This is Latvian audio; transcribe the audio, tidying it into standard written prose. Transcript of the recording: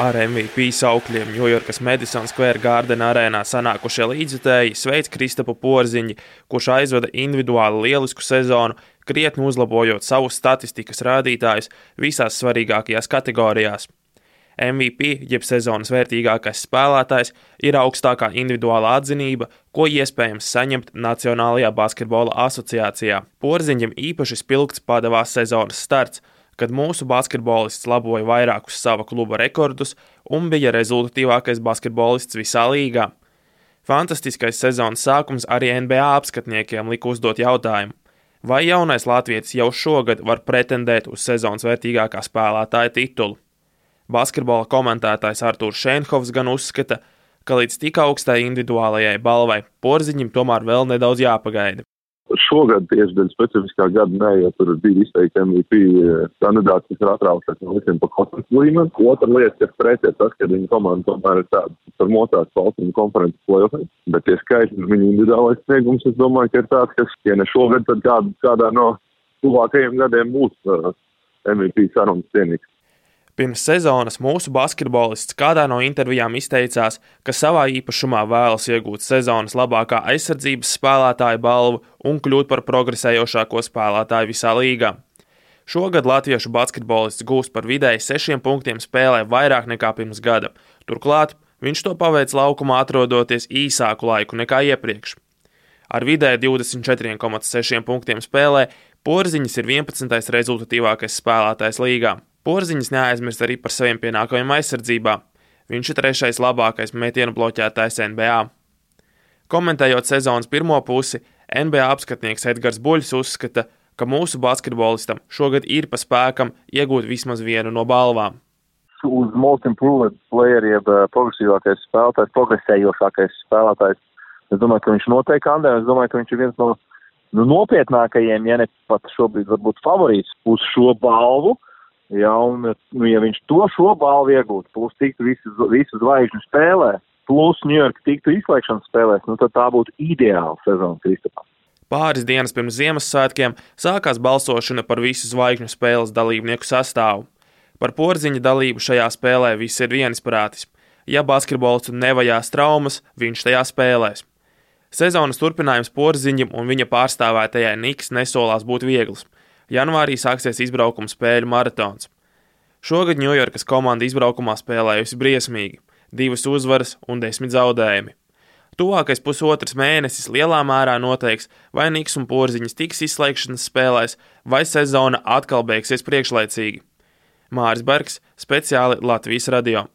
Ar MVP saukļiem Ņujorkas Madison Square Garden arēnā sanākušie līdzjutēji sveic Kristapu Porziņu, kurš aizvada individuāli lielisku sezonu, krietni uzlabojot savus statistikas rādītājus visās svarīgākajās kategorijās. MVP, jeb sezonas vērtīgākais spēlētājs, ir augstākā individuālā atzinība, ko iespējams saņemt Nacionālajā basketbola asociācijā. Porziņam īpaši spilgts padevās sezonas starts, kad mūsu basketbolists laboja vairākus sava kluba rekordus un bija rezultatīvākais basketbolists visā līgā. Fantastiskais sezonas sākums arī NBA apskatniekiem lika uzdot jautājumu, vai jaunais latvietis jau šogad var pretendēt uz sezonas vērtīgākā spēlētāja titulu. Basketbola komentētājs Artūrs Šēnhovs gan uzskata, ka līdz tik augstai individuālajai balvai Porziņam tomēr vēl nedaudz jāpagaida. Šogad tieši dēļ specifiskā gada nē, jo tur bija izteikti MVP kandidāts, kas ir atraušies no visiem pa konferences līmeni. Otra lieta, kas pretī, tas, ka viņa komanda tomēr ir tāda par motās valsts konferences play-offs, bet tie skaitļi, viņa individuālais sniegums, es domāju, ka ir tāds, kas, ja ne šogad, tad kādā no tuvākajiem gadiem būs MVP sarunas cienīgs. Pirms sezonas mūsu basketbolists kādā no intervijām izteicās, ka savā īpašumā vēlas iegūt sezonas labākā aizsardzības spēlētāja balvu un kļūt par progresējošāko spēlētāju visā līgā. Šogad latviešu basketbolists gūst par vidēji 6 punktiem spēlē vairāk nekā pirms gada. Turklāt viņš to paveic laukumā atrodoties īsāku laiku nekā iepriekš. Ar vidēji 24,6 punktiem spēlē Porziņš ir 11. rezultatīvākais spēlētājs līgā. Porziņš neaizmirst arī par saviem pienākumiem aizsardzībā. Viņš ir 3. labākais metienu bloķētājs NBA. Komentējot sezonas pirmo pusi, NBA apskatnieks Edgars Buļs uzskata, ka mūsu basketbolistam šogad ir pa spēkam iegūt vismaz vienu no balvām. Uz most improved player, jeb progresīvākais spēlētājs, progresējošākais spēlētājs, es domāju, ka viņš noteikti kandē, es domāju, ka viņš ir viens no nopietnākajiem, ja ne pat šobrīd varbūt favorīts uz šo balvu. Ja, un, ja viņš šo balvu iegūtu, plus tiktu visu zvaigžņu spēlē, plus Ņujorka tiktu izslēgšanas spēlēs, tad tā būtu ideāla sezona Kristapam. Pāris dienas pirms Ziemassvētkiem sākās balsošana par visu zvaigžņu spēles dalībnieku sastāvu. Par Porziņa dalību šajā spēlē viss ir vienisprātis. Ja basketbolistu nevajās traumas, viņš tajā spēlēs. Sezonas turpinājums Porziņam un viņa pārstāvētajai Knicks nesolās būt viegls. Janvārī sāksies izbraukuma spēļu maratons. Šogad Ņujorkas komanda izbraukumā spēlējusi briesmīgi, 2 uzvaras un 10 zaudējumi. Tuvākais pusotrs mēnesis lielā mērā noteiks, vai Knicks un Porziņš tiks izslēgšanas spēlēs, vai sezona atkal beigsies priekšlaicīgi. Māris Bergs, speciāli Latvijas radio.